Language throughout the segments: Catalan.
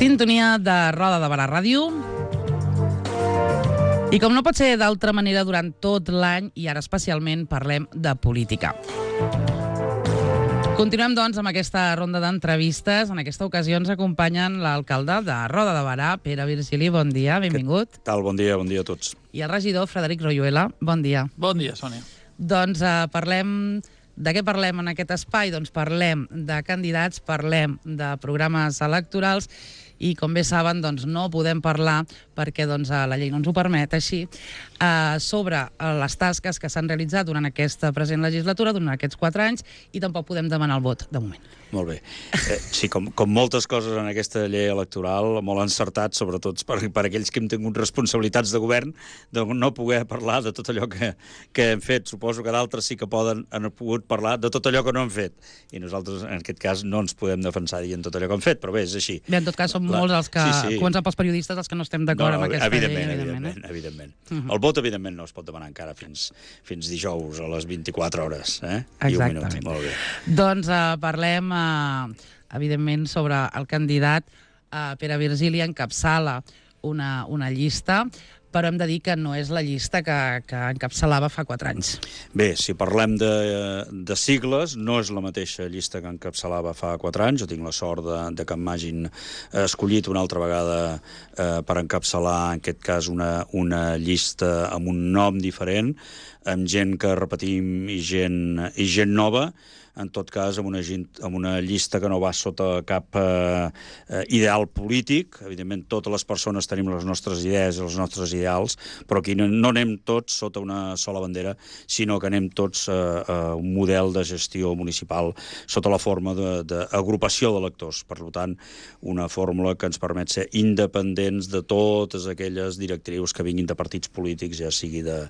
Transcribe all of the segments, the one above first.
Sintonia de Roda de Barà Ràdio. I com no pot ser d'altra manera, durant tot l'any, i ara especialment, parlem de política. Continuem, doncs, amb aquesta ronda d'entrevistes. En aquesta ocasió ens acompanyen l'alcalde de Roda de Barà, Pere Virgili. Bon dia, benvingut. Què tal? Bon dia a tots. I el regidor, Frederic Royuela. Bon dia. Bon dia, Sònia. Doncs parlem... De què parlem en aquest espai? Doncs parlem de candidats, parlem de programes electorals i, com bé saben, doncs no podem parlar, perquè doncs, la llei no ens ho permet així, sobre les tasques que s'han realitzat durant aquesta present legislatura, durant aquests 4 anys, i tampoc podem demanar el vot, de moment. Molt bé. Sí, com moltes coses en aquesta llei electoral, molt encertat, sobretot per aquells que hem tingut responsabilitats de govern, de no poder parlar de tot allò que hem fet. Suposo que d'altres sí que han pogut parlar de tot allò que no han fet. I nosaltres, en aquest cas, no ens podem defensar dient tot allò que hem fet, però bé, és així. Bé, en tot cas, som molts els que, començant pels periodistes, els que no estem d'acord amb aquesta llei. Evidentment. El vot, evidentment, no es pot demanar encara fins dijous a les 24 hores. Exactament. Molt bé. Doncs parlem, evidentment, sobre el candidat. Pere Virgili encapçala una llista, però hem de dir que no és la llista que encapçalava fa 4 anys. Bé, si parlem de sigles, no és la mateixa llista que encapçalava fa 4 anys. Jo tinc la sort de que m'hagin escollit una altra vegada per encapçalar, en aquest cas, una llista amb un nom diferent, amb gent que repetim i gent nova, en tot cas, amb una llista que no va sota cap ideal polític. Evidentment, totes les persones tenim les nostres idees i els nostres ideals, però aquí no anem tots sota una sola bandera, sinó que anem tots a un model de gestió municipal sota la forma d'agrupació d'electors. Per tant, una fórmula que ens permet ser independents de totes aquelles directrius que vinguin de partits polítics, ja sigui de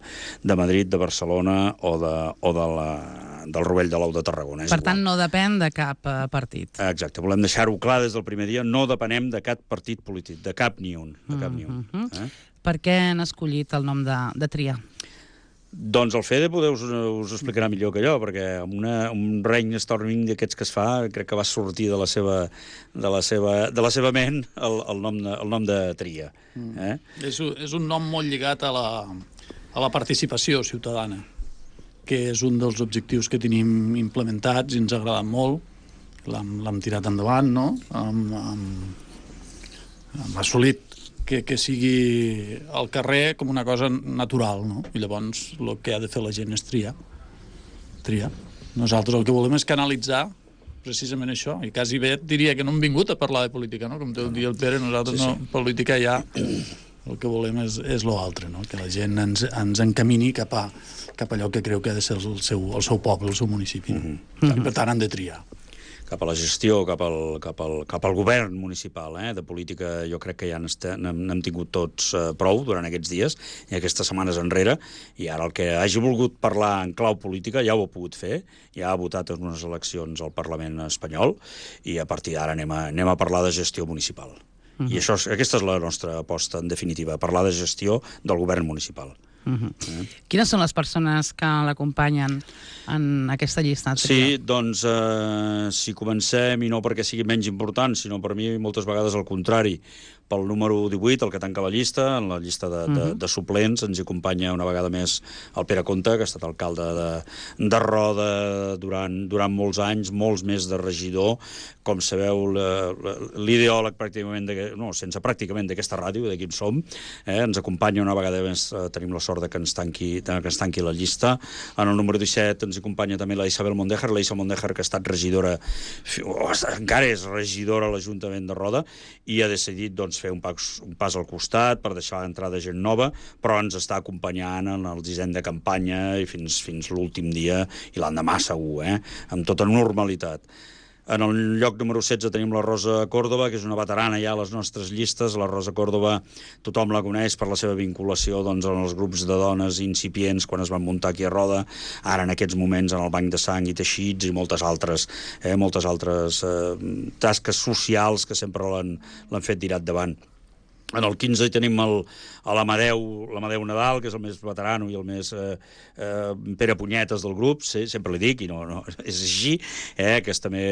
Madrid, de Barcelona o del Rovell de l'Ou de Tarragona. Per tant, no depèn de cap partit. Exacte, volem deixar-ho clar des del primer dia, no depenem de cap partit polític, de cap ni un. Per què han escollit el nom de Tria? Doncs el Fede us explicarà millor que jo, perquè amb un brainstorming d'aquests que es fa, crec que va sortir de la seva ment el nom de Tria. És un nom molt lligat a la participació ciutadana, que és un dels objectius que tenim implementats i ens ha agradat molt. L'hem tirat endavant, no? Hem assolit que sigui al carrer com una cosa natural, no? I llavors el que ha de fer la gent és triar. Nosaltres el que volem és canalitzar precisament això, i quasi bé diria que no hem vingut a parlar de política, no? Com diu el Pere, nosaltres no, política ja... El que volem és l'altre, no? Que la gent ens encamini cap a allò que creu que ha de ser el seu poble, el seu municipi. I per tant han de triar. Cap a la gestió, cap al govern municipal. De política jo crec que ja n'hem tingut tots prou durant aquests dies i aquestes setmanes enrere, i ara el que hagi volgut parlar en clau política ja ho ha pogut fer, ja ha votat en unes eleccions al Parlament espanyol, i a partir d'ara anem a parlar de gestió municipal. I aquesta és la nostra aposta, en definitiva, parlar de gestió del govern municipal. Quines són les persones que l'acompanyen en aquesta llista? Sí, doncs, si comencem, i no perquè sigui menys important, sinó per mi moltes vegades al contrari, pel número 18, el que tanca la llista, en la llista de suplents, ens hi acompanya una vegada més el Pere Conte, que ha estat alcalde de Roda durant molts anys, molts més de regidor. Com sabeu, l'ideòleg pràcticament, sense pràcticament d'aquesta ràdio, d'aquí en som, ens acompanya una vegada més, tenim la sort que ens tanqui la llista. En el número 17 ens acompanya també la Isabel Mondejar, que ha estat regidora, encara és regidora a l'Ajuntament de Roda, i ha decidit, doncs, fer un pas al costat per deixar l'entrada de gent nova, però ens està acompanyant en el disseny de campanya i fins l'últim dia, i l'endemà segur, amb tota normalitat. En el lloc número 16 tenim la Rosa Córdoba, que és una veterana ja a les nostres llistes. La Rosa Córdoba, tothom la coneix per la seva vinculació en els grups de dones incipients quan es van muntar aquí a Roda, ara en aquests moments en el Banc de Sang i Teixits i moltes altres tasques socials que sempre l'han fet tirar endavant. En el 15 hi tenim l'Amadeu Nadal, que és el més veterano i el més Pere Punyetes del grup, sí, sempre li dic, i no és així, que és també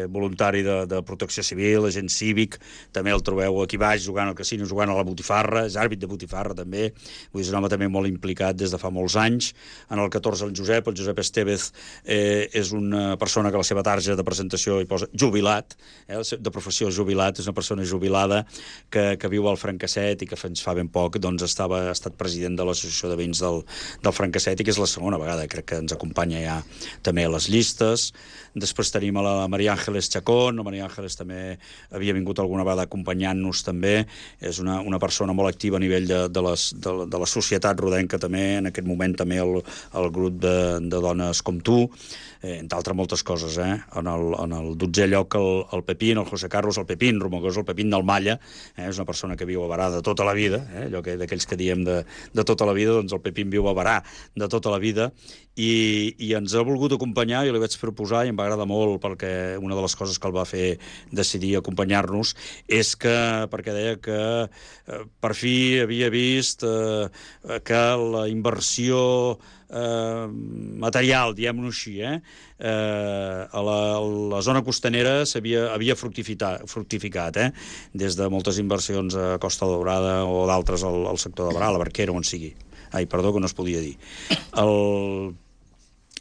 voluntari de protecció civil, agent cívic, també el trobeu aquí baix jugant al casino, jugant a la botifarra, és àrbit de botifarra també, vull dir, és un home també molt implicat des de fa molts anys. En el 14 el Josep Estevez és una persona que a la seva tarja de presentació hi posa jubilat, de professió jubilat, és una persona jubilada que viu al Francasset i que fins fa ben poc doncs ha estat president de l'Associació de Veïns del Francasset i que és la segona vegada, crec que ens acompanya ja també a les llistes. Després tenim a la Maria Ángeles Chacón, la Maria Ángeles també havia vingut alguna vegada acompanyant-nos també, és una persona molt activa a nivell de la societat rodenca també, en aquest moment també el grup de dones com tu, entre altres moltes coses, En el 12è lloc el Pepín, el José Carlos, el Pepín Romagós, el Pepín del Malla, és una persona que viu a Barà de tota la vida, allò d'aquells que diem de tota la vida, doncs el Pepín viu a Barà de tota la vida, i ens ha volgut acompanyar, jo li vaig proposar i em va agradar molt perquè una de les coses que el va fer decidir acompanyar-nos és perquè deia que per fi havia vist que la inversió material, diguem-ho així, a la zona costanera havia fructificat, des de moltes inversions a Costa Daurada o d'altres al sector de Barà, a la Barquera, on sigui. Perdó, que no es podia dir.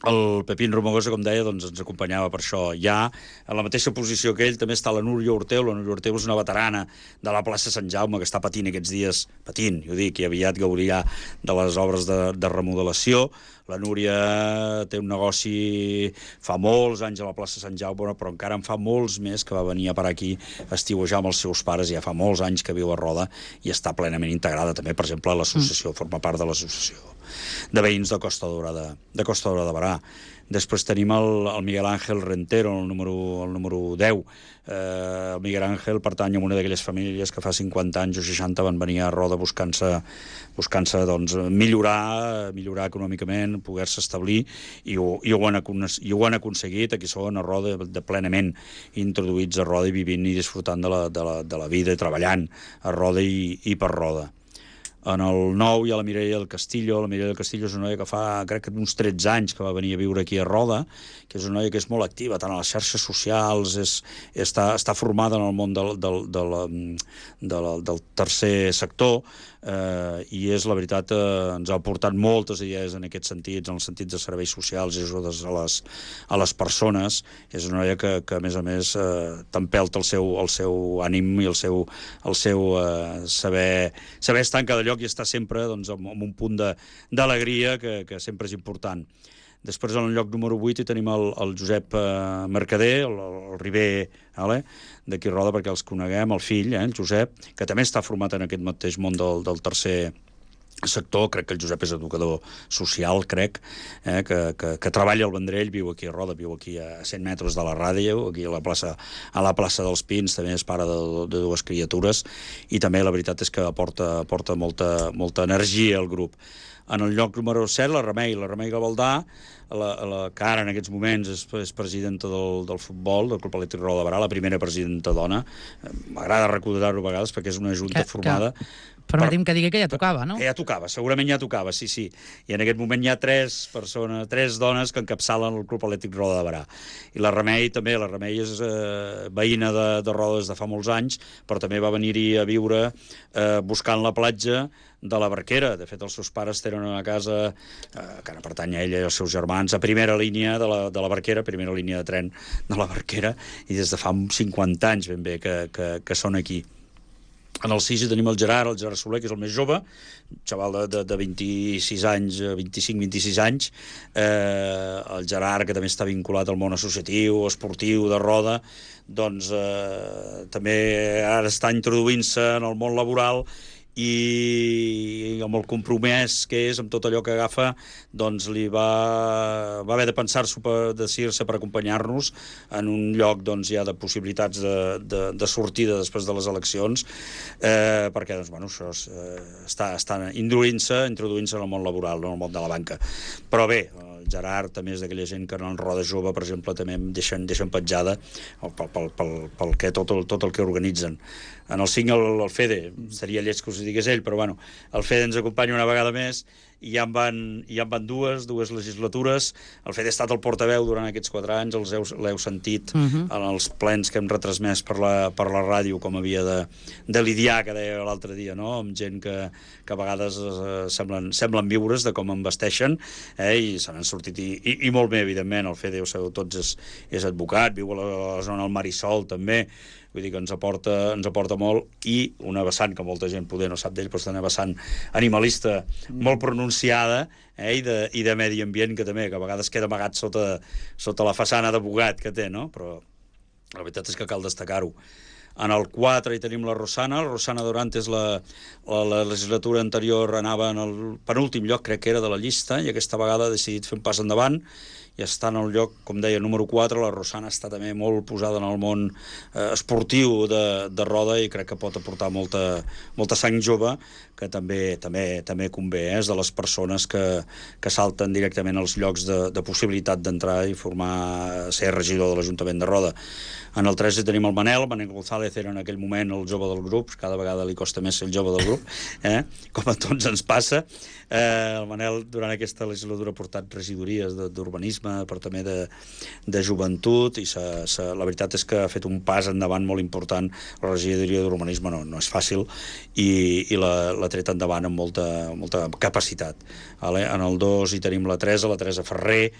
El Pepín Romagosa, com deia, doncs ens acompanyava per això. Ja, en la mateixa posició que ell, també està la Núria Orteu. La Núria Orteu és una veterana de la plaça Sant Jaume, que està patint aquests dies, jo dic, i aviat gaudirà de les obres de remodelació. La Núria té un negoci fa molts anys a la plaça Sant Jaume, però encara en fa molts més que va venir a parar aquí a estiuejar amb els seus pares, ja fa molts anys que viu a Roda i està plenament integrada també, per exemple, a l'associació, forma part de l'associació de veïns de Costa Daurada de Barà. Després tenim el Miguel Ángel Rentero, el número 10. El Miguel Ángel pertany a una d'aquelles famílies que fa 50 anys o 60 van venir a Roda buscant-se doncs, millorar econòmicament, poder-se establir, i ho han aconseguit. Aquí són a Roda plenament introduïts a Roda i vivint i disfrutant de la vida i treballant a Roda i per Roda. En el 9 hi ha la Mireia del Castillo. La Mireia del Castillo és una noia que fa, crec que uns 13 anys que va venir a viure aquí a Roda, que és una noia que és molt activa tant a les xarxes socials, està formada en el món del tercer sector, i és, la veritat, ens ha aportat moltes idees en aquests sentits, en els sentits de serveis socials i ajudes a les persones. És una noia que a més, t'empelta el seu ànim i el seu saber estar en cada lloc i estar sempre doncs, amb un punt d'alegria que sempre és important. Després, en el lloc número 8, hi tenim el Josep Mercader, el Riber, d'aquí Roda, perquè els coneguem, el fill, el Josep, que també està format en aquest mateix món del tercer sector. Crec que el Josep és educador social, crec, que treballa al Vendrell, viu aquí a Roda, viu aquí a 100 metres de la ràdio, aquí a la plaça dels Pins, també és pare de dues criatures, i també la veritat és que aporta molta energia al grup. En el lloc número 7, la Remei Gavaldà, que ara en aquests moments és presidenta del futbol, del Club Atlètic Roda de Barà, la primera presidenta dona. M'agrada recordar-ho a vegades perquè és una junta formada... Permetim que digui que ja tocava, no? Que ja tocava, segurament ja tocava, sí. I en aquest moment hi ha tres dones que encapçalen el Club Atlètic Roda de Barà. I la Remei també, la Remei és veïna de Roda des de fa molts anys, però també va venir-hi a viure buscant la platja de la Barquera. De fet, els seus pares tenen una casa que ara pertany a ella i als seus germans, a primera línia de la Barquera, primera línia de tren de la Barquera, i des de fa 50 anys ben bé que són aquí. En el 6 hi tenim el Gerard Soler, que és el més jove, un xaval de 26 anys, 25-26 anys. El Gerard, que també està vinculat al món associatiu, esportiu, de Roda, doncs també ara està introduint-se en el món laboral, i amb el compromès que és, amb tot allò que agafa, doncs li va haver de pensar-s'ho, decidir-se per acompanyar-nos en un lloc doncs, ja de possibilitats de sortida després de les eleccions, perquè doncs, bueno, això està introduint-se en el món laboral, no en el món de la banca. Però bé, Gerard també és d'aquella gent que en el Roda Jove, per exemple, també em deixen petjada tot el que organitzen. En el 5 el Fede, seria lleig que us digués ell, però bueno, el Fede ens acompanya una vegada més i ja en van dues legislatures. El Fede ha estat el portaveu durant aquests 4 anys, l'heu sentit en els plens que hem retransmès per la ràdio, com havia de lidiar, que deia l'altre dia, no? Amb gent que a vegades semblen viures de com em vesteixen, i se n'han sortit, i molt bé, evidentment. El Fede, ho sabeu tots, és advocat, viu a la zona del Marisol, també. Vull dir que ens aporta molt, i una vessant que molta gent poder no sap d'ell, però està una vessant animalista molt pronunciada, i de medi ambient, que també, que a vegades queda amagat sota la façana d'abogat que té, no? Però la veritat és que cal destacar-ho. En el 4 hi tenim la Rosana Dorantes. La legislatura anterior anava en el penúltim lloc, crec que era, de la llista, i aquesta vegada ha decidit fer un pas endavant i està en el lloc, com deia, número 4. La Rosana està també molt posada en el món esportiu de roda, i crec que pot aportar molta sang jove, que també convé. És de les persones que salten directament als llocs de possibilitat d'entrar i ser regidor de l'Ajuntament de Roda. En el 3 tenim el Manel González, era en aquell moment el jove del grup, cada vegada li costa més ser el jove del grup, com a tots ens passa. El Manel durant aquesta legislatura ha portat regidories d'urbanisme, departament de joventut, i la veritat és que ha fet un pas endavant molt important. La regidoria d'urbanisme no és fàcil, i l'ha tret endavant amb molta capacitat. En el 2 hi tenim la Teresa Ferrer.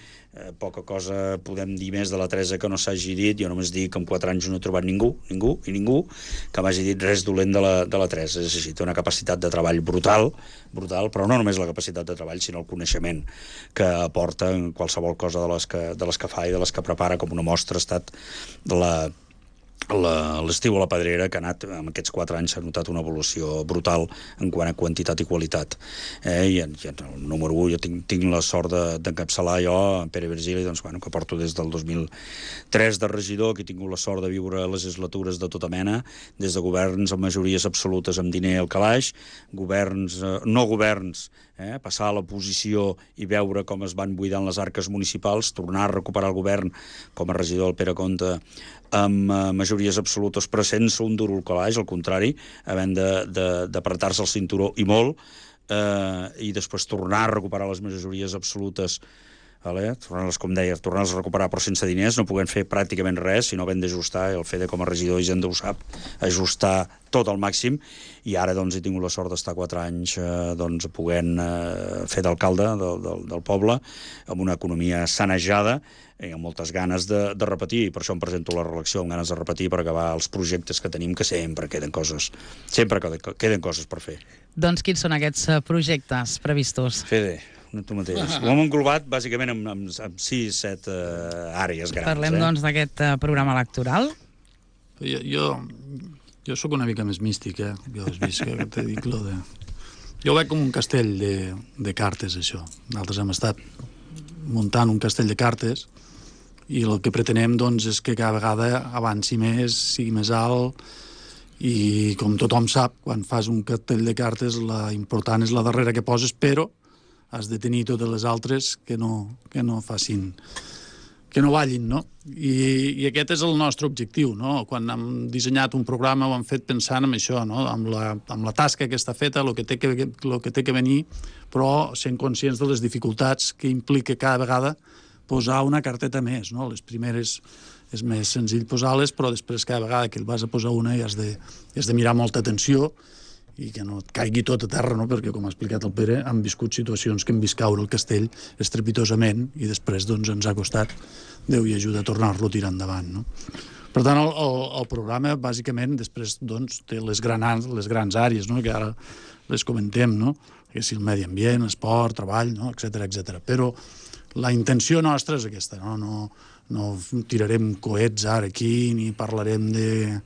Poca cosa podem dir més de la Teresa que no s'hagi dit. Jo només dic que en 4 anys no he trobat ningú que m'hagi dit res dolent de la Teresa. És així, té una capacitat de treball brutal, però no només la capacitat de treball, sinó el coneixement que aporta en qualsevol cosa de les que fa i de les que prepara. Com una mostra ha estat l'estiu a la Pedrera, que ha anat, en aquests 4 anys s'ha notat una evolució brutal en quant a quantitat i qualitat. I en el número 1 jo tinc la sort d'encapçalar jo, Pere Virgili, que porto des del 2003 de regidor, que he tingut la sort de viure legislatures de tota mena, des de governs amb majories absolutes amb diner al calaix, no governs, passar a l'oposició i veure com es van buidant les arques municipals, tornar a recuperar el govern com a regidor del Pere Comte amb majories absolutes, però sense un duro al calaix, al contrari, havent d'apretar-se el cinturó i molt, i després tornar a recuperar les majories absolutes, tornar-les a recuperar però sense diners, no puguem fer pràcticament res, sinó havent d'ajustar. El Fede com a regidor i gent ho sap, ajustar tot al màxim, i ara he tingut la sort d'estar 4 anys podent fer d'alcalde del poble, amb una economia sanejada i amb moltes ganes de repetir, i per això em presento a la reelecció amb ganes de repetir, per acabar els projectes que tenim, que sempre queden coses per fer. Doncs quins són aquests projectes previstos? Fede, tu mateix. Ho hem englobat bàsicament amb 6-7 àrees grans. Parlem doncs d'aquest programa electoral. Jo sóc una mica més místic, jo has vist que t'he dit lo de... Jo ho veig com un castell de cartes, això. Nosaltres hem estat muntant un castell de cartes, i el que pretenem és que cada vegada avanci més, sigui més alt, i com tothom sap, quan fas un castell de cartes la important és la darrera que poses, però has de tenir totes les altres que no facin, que no ballin, no? I aquest és el nostre objectiu, no? Quan hem dissenyat un programa ho hem fet pensant en això, no? Amb la tasca que està feta, el que té que venir, però sent conscients de les dificultats que implica cada vegada posar una carteta més, no? Les primeres és més senzill posar-les, però després cada vegada que vas a posar una hi has de mirar molta atenció i que no et caigui tot a terra, no? Perquè, com ha explicat el Pere, han viscut situacions que hem vist caure el castell estrepitosament i després ens ha costat Déu i ajuda a tornar-lo a tirar endavant, no? Per tant, el programa, bàsicament, després té les grans àrees, no? Que ara les comentem, no? Que si el medi ambient, esport, treball, no? Etcètera. Però la intenció nostra és aquesta, no tirarem coets ara aquí, ni parlarem de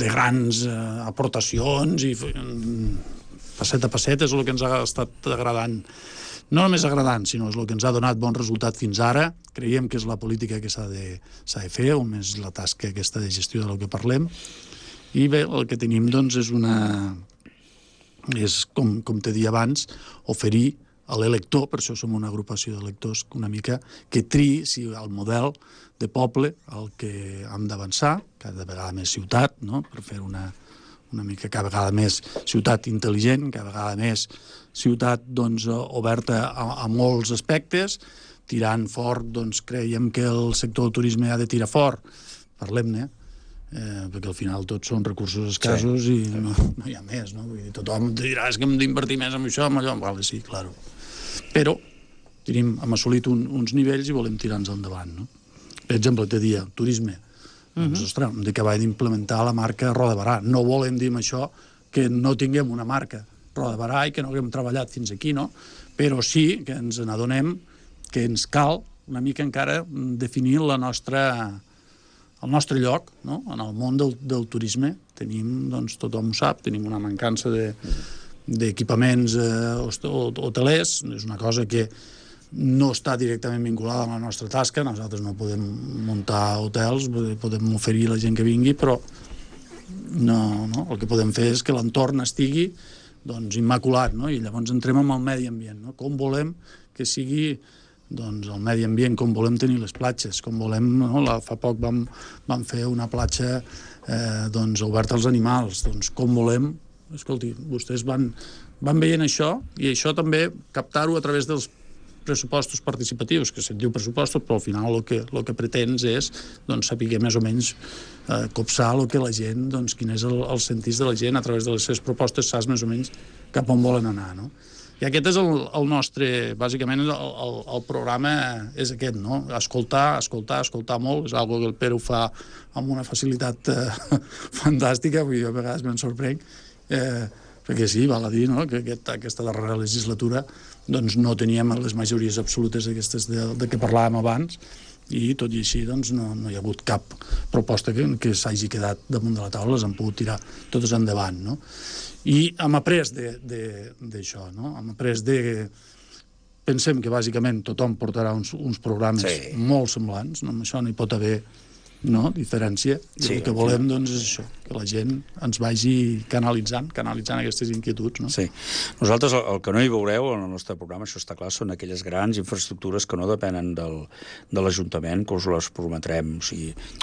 grans aportacions, i passet a passet és el que ens ha estat agradant. No només agradant, sinó és el que ens ha donat bon resultat fins ara. Creiem que és la política que s'ha de fer, on és la tasca aquesta de gestió del que parlem. I bé, el que tenim és com t'he dit abans, oferir l'elector, per això som una agrupació d'electors una mica, que triï si el model de poble el que hem d'avançar, cada vegada més ciutat, no? Per fer una mica cada vegada més ciutat intel·ligent, cada vegada més ciutat oberta a molts aspectes, tirant fort, creiem que el sector del turisme ha de tirar fort, parlem-ne, perquè al final tots són recursos escassos i no hi ha més, no? Vull dir, tothom dirà que hem d'invertir més en això, en allò, vale, sí, claro. Però hem assolit uns nivells i volem tirar-nos endavant, no? Per exemple, te dia, turisme, doncs, ostres, hem d'acabar d'implementar la marca Roda Barà. No volem dir amb això que no tinguem una marca Roda Barà i que no haguem treballat fins aquí, no? Però sí que ens n'adonem que ens cal una mica encara definir el nostre lloc, no? En el món del turisme. Tenim, tothom ho sap, tenim una mancança d'equipaments hotelers, és una cosa que no està directament vinculada amb la nostra tasca, nosaltres no podem muntar hotels, podem oferir a la gent que vingui, però no, el que podem fer és que l'entorn estigui immaculat, no? I llavors entrem amb el medi ambient, no? Com volem que sigui el medi ambient, com volem tenir les platges, com volem, no? Fa poc vam fer una platja oberta als animals, com volem, escolti, vostès van veient això, i això també captar-ho a través dels pressupostos participatius, que se'n diu pressupostos, però al final el que pretens és saber més o menys copsar el que la gent, quin és el sentís de la gent, a través de les seves propostes saps més o menys cap on volen anar, no? I aquest és el nostre, bàsicament, el programa és aquest, no? Escoltar molt, és una cosa que el Pere ho fa amb una facilitat fantàstica, vull dir, a vegades me'n sorprenc, perquè sí, val a dir, no?, que aquesta darrera legislatura no teníem les majories absolutes aquestes de què parlàvem abans, i tot i així no hi ha hagut cap proposta que s'hagi quedat damunt de la taula, les han pogut tirar totes endavant, no? I hem après d'això, no? Hem après pensem que bàsicament tothom portarà uns programes molt semblants, no? Amb això no hi pot haver diferència, i el que volem és això, que la gent ens vagi canalitzant aquestes inquietuds, no? Sí. Nosaltres el que no hi veureu en el nostre programa, això està clar, són aquelles grans infraestructures que no depenen de l'Ajuntament, que us les prometrem,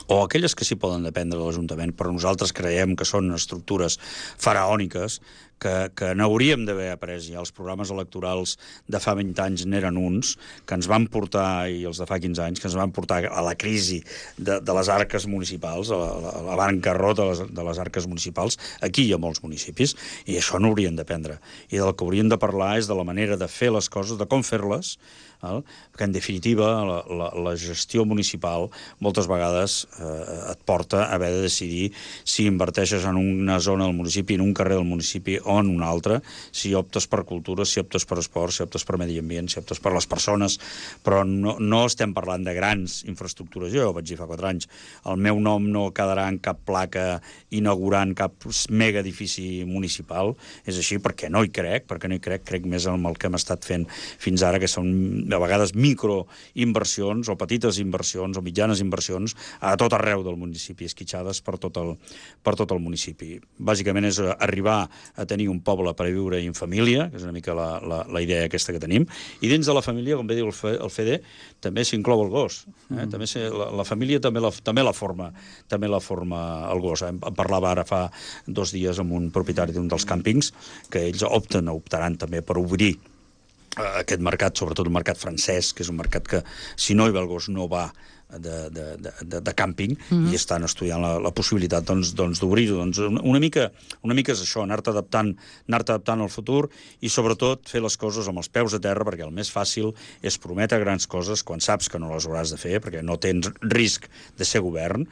o aquelles que sí poden dependre de l'Ajuntament, però nosaltres creiem que són estructures faraòniques, que n'hauríem d'haver après ja. Els programes electorals de fa 20 anys n'eren uns, que ens van portar, i els de fa 15 anys, que ens van portar a la crisi de les arques municipals, a la bancarrota de les arques municipals. Aquí hi ha molts municipis, i això no haurien d'aprendre. I del que hauríem de parlar és de la manera de fer les coses, de com fer-les, perquè en definitiva la gestió municipal moltes vegades et porta a haver de decidir si inverteixes en una zona del municipi, en un carrer del municipi o en un altre, si optes per cultura, si optes per esport, si optes per medi ambient, si optes per les persones, però no estem parlant de grans infraestructures. Jo ho vaig dir fa 4 anys, el meu nom no quedarà en cap placa inaugurant cap mega edifici municipal, és així perquè no hi crec, crec més en el que hem estat fent fins ara, que són a vegades microinversions o petites inversions o mitjanes inversions a tot arreu del municipi, esquitxades per tot el municipi. Bàsicament és arribar a tenir un poble per viure en família, que és una mica la idea aquesta que tenim, i dins de la família, com bé diu el Fede, també s'inclou el gos. També la família també la forma el gos. Em parlava ara fa 2 dies amb un propietari d'un dels càmpings que ells optaran també per obrir aquest mercat, sobretot el mercat francès, que és un mercat que, si no hi va el gos, no va de càmping, i estan estudiant la possibilitat d'obrir-ho. Una mica és això, anar-te adaptant al futur i sobretot fer les coses amb els peus a terra, perquè el més fàcil és prometre grans coses quan saps que no les hauràs de fer, perquè no tens risc de ser govern.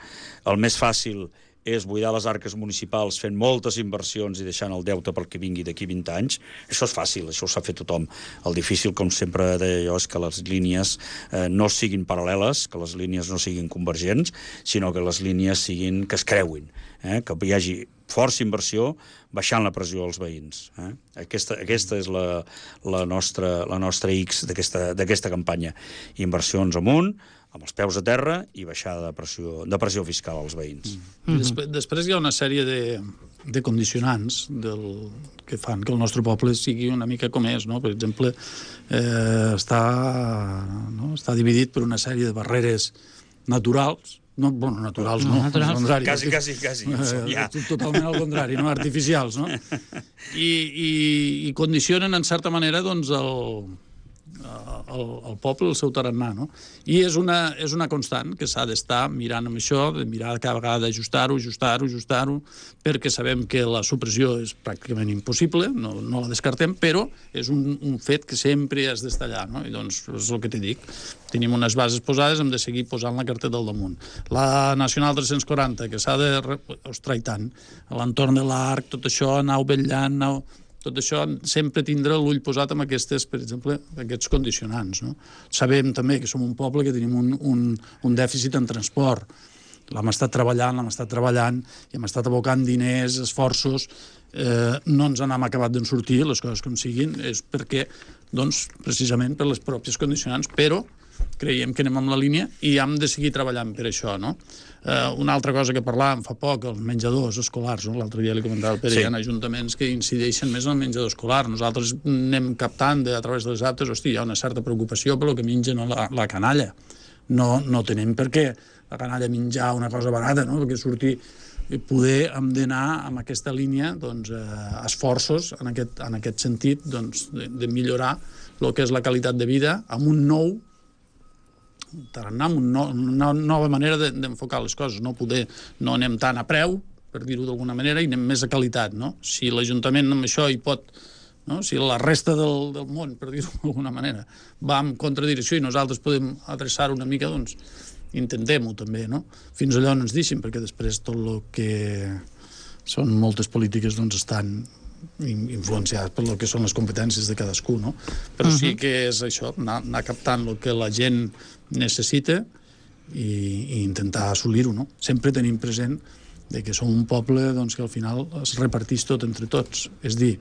El més fàcil és buidar les arques municipals fent moltes inversions i deixant el deute pel que vingui d'aquí 20 anys. Això és fàcil, això ho sap fer tothom. El difícil, com sempre deia jo, és que les línies no siguin paral·leles, que les línies no siguin convergents, sinó que les línies que es creuin, que hi hagi força inversió baixant la pressió als veïns. Aquesta és la nostra X d'aquesta campanya. Inversions amunt, amb els peus a terra i baixada de pressió fiscal als veïns. Després hi ha una sèrie de condicionants que fan que el nostre poble sigui una mica com és, no? Per exemple, està dividit per una sèrie de barreres naturals, naturals no, quasi, ja. Totalment al contrari, no? Artificials, no? I condicionen, en certa manera, doncs, el poble, el seu tarannà, no? I és una constant que s'ha d'estar mirant amb això, de mirar cada vegada d'ajustar-ho, perquè sabem que la supressió és pràcticament impossible, no la descartem, però és un fet que sempre has d'estar allà, no? I doncs és el que t'he dit. Tenim unes bases posades, hem de seguir posant la carteta al damunt. La Nacional 340, que s'ha de... Ostres, i tant, a l'entorn de l'Arc, tot això, anar vetllant, tot això sempre tindrà l'ull posat amb aquests, per exemple, aquests condicionants, no? Sabem també que som un poble que tenim un dèficit en transport. L'hem estat treballant i hem estat abocant diners, esforços, no ens n'hem acabat d'en sortir, les coses com siguin, és perquè, doncs, precisament per les pròpies condicionants, però creiem que anem amb la línia i hem de seguir treballant per això, no? Una altra cosa que parlàvem fa poc, els menjadors escolars, no? L'altre dia li comentava el Pere, hi ha ajuntaments que incideixen més en el menjador escolar. Nosaltres anem captant a través dels aptes, hi ha una certa preocupació per el que mengen la canalla. No tenim per què la canalla menjar una cosa barata, no? Perquè sortir poder hem d'anar amb aquesta línia, doncs, esforços en aquest sentit, doncs, de millorar el que és la qualitat de vida amb un nou tarannà, una nova manera d'enfocar les coses, no anem tant a preu, per dir-ho d'alguna manera, i anem més a qualitat, no? Si l'Ajuntament amb això hi pot, no? Si la resta del món, per dir-ho d'alguna manera, va en contradirecció i nosaltres podem adreçar una mica, doncs intentem-ho també, no? Fins allà on ens deixin, perquè després tot el que són moltes polítiques doncs estan influenciats per el que són les competències de cadascú, no? Però sí que és això, anar captant el que la gent necessita i intentar assolir-ho, no? Sempre tenim present que som un poble doncs, que al final es reparteix tot entre tots. És dir,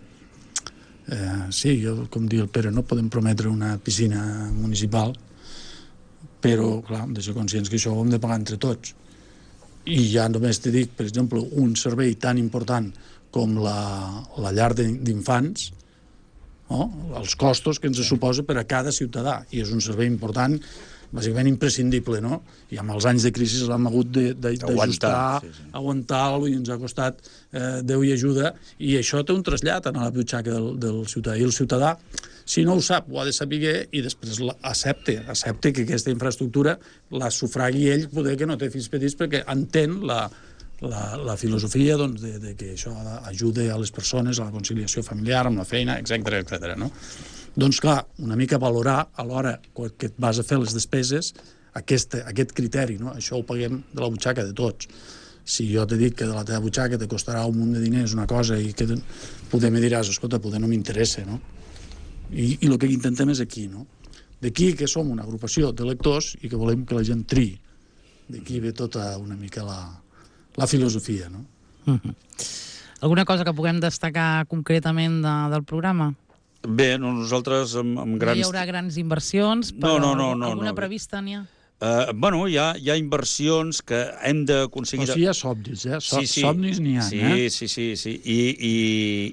sí, com diu el Pere, no podem prometre una piscina municipal, però, clar, hem de ser conscients que això ho hem de pagar entre tots. I ja només te dic, per exemple, un servei tan important com la llar d'infants, no? Els costos que ens suposa per a cada ciutadà, i és un servei important, bàsicament imprescindible, no? I amb els anys de crisi l'hem hagut d'ajustar, aguantar-lo, i ens ha costat Déu i ajuda, i això té un trasllat a la butxaca del ciutadà. I el ciutadà, si no ho sap, ho ha de saber i després accepte que aquesta infraestructura la sufragui ell, poder que no té fills petits, perquè entén la filosofia doncs, de que això ajuda a les persones, a la conciliació familiar, amb la feina, etc. No? Doncs clar, una mica valorar a l'hora que et vas a fer les despeses aquest criteri, no? Això ho paguem de la butxaca de tots. Si jo t'he dit que de la teva butxaca te costarà un munt de diners una cosa i que poder me diràs, escolta, poder no m'interessa, no? I el que intentem és aquí, no? D'aquí que som una agrupació de lectors i que volem que la gent triï. D'aquí ve tota una mica la filosofia, no? Alguna cosa que puguem destacar concretament del programa? Bé, nosaltres amb grans... No hi haurà grans inversions, però alguna prevista n'hi ha? Bueno, hi ha inversions que hem d'aconseguir... Però sí hi ha somnis, somnis n'hi ha, Sí.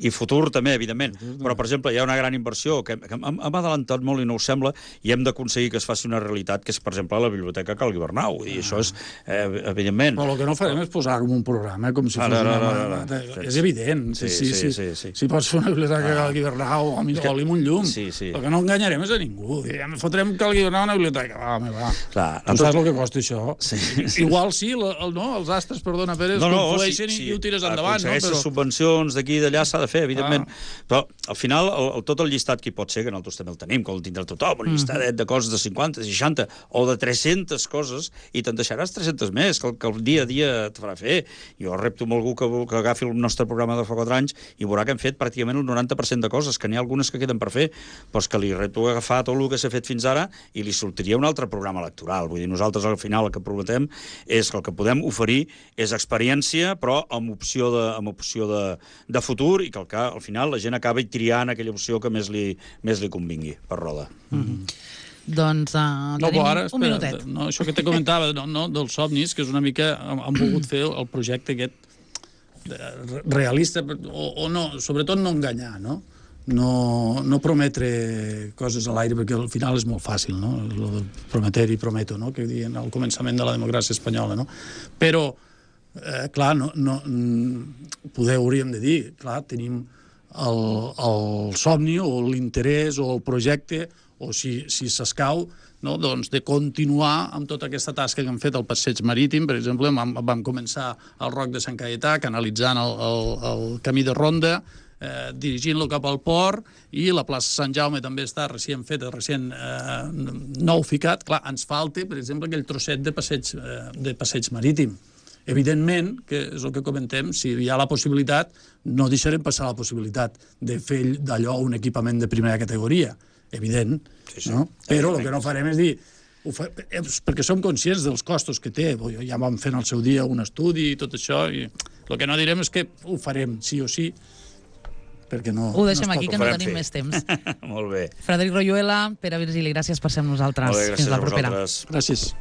I futur també, evidentment. Però, per exemple, hi ha una gran inversió que hem adelantat molt i no ho sembla, i hem d'aconseguir que es faci una realitat, que és, per exemple, la Biblioteca Calgui Bernau. I això és, evidentment... Però el que no farem és posar com un programa, com si fos una... És evident. Si pots fer una Biblioteca Calgui Bernau o lim un llum, el que no enganyarem és a ningú. Fotrem Calgui Bernau a una biblioteca. Va. Clar. Tu saps el que costa això? Igual sí, els astres, perdona, Pere, conflueixen i ho tires endavant. Aconsegueixes subvencions d'aquí i d'allà, s'ha de fer, evidentment. Però, al final, tot el llistat que hi pot ser, que nosaltres també el tenim, que el tindrà tothom, un llistadet de coses de 50, 60 o de 300 coses, i te'n deixaràs 300 més, que el dia a dia et farà fer. Jo repto amb algú que agafi el nostre programa de fa 4 anys i veurà que hem fet pràcticament el 90% de coses, que n'hi ha algunes que queden per fer, però és que li repto agafar tot el que s'ha fet fins ara i li sortiria un altre programa electoral. Vull dir, nosaltres al final el que prometem és que el que podem oferir és experiència, però amb opció de futur, i que al final la gent acabi triant aquella opció que més li convingui per roda. Doncs tenim un minutet. Això que te comentava dels somnis, que és una mica... Han volgut fer el projecte aquest realista, o no, sobretot no enganyar, no? No prometre coses a l'aire, perquè al final és molt fàcil, no? Lo de prometer i prometo, no? Que diuen al començament de la democràcia espanyola, no? Però, clar, poder hauríem de dir, clar, tenim el somni o l'interès o el projecte, o si s'escau, no? Doncs de continuar amb tota aquesta tasca que hem fet al passeig marítim. Per exemple, vam començar al Roc de Sant Caietà, canalitzant el camí de ronda, dirigint-lo cap al port, i la plaça Sant Jaume també està recient feta, recient nou ficat. Clar, ens falta, per exemple, aquell trosset de passeig marítim. Evidentment, que és el que comentem, si hi ha la possibilitat, no deixarem passar la possibilitat de fer d'allò un equipament de primera categoria, evident, no? Però el que no farem és dir, perquè som conscients dels costos que té, ja vam fer en el seu dia un estudi i tot això, i el que no direm és que ho farem sí o sí, perquè no... Ho deixem aquí, que no tenim més temps. Molt bé. Frederic Royuela, Pere Virgili, gràcies per ser amb nosaltres. Molt bé, gràcies a vosaltres. Gràcies.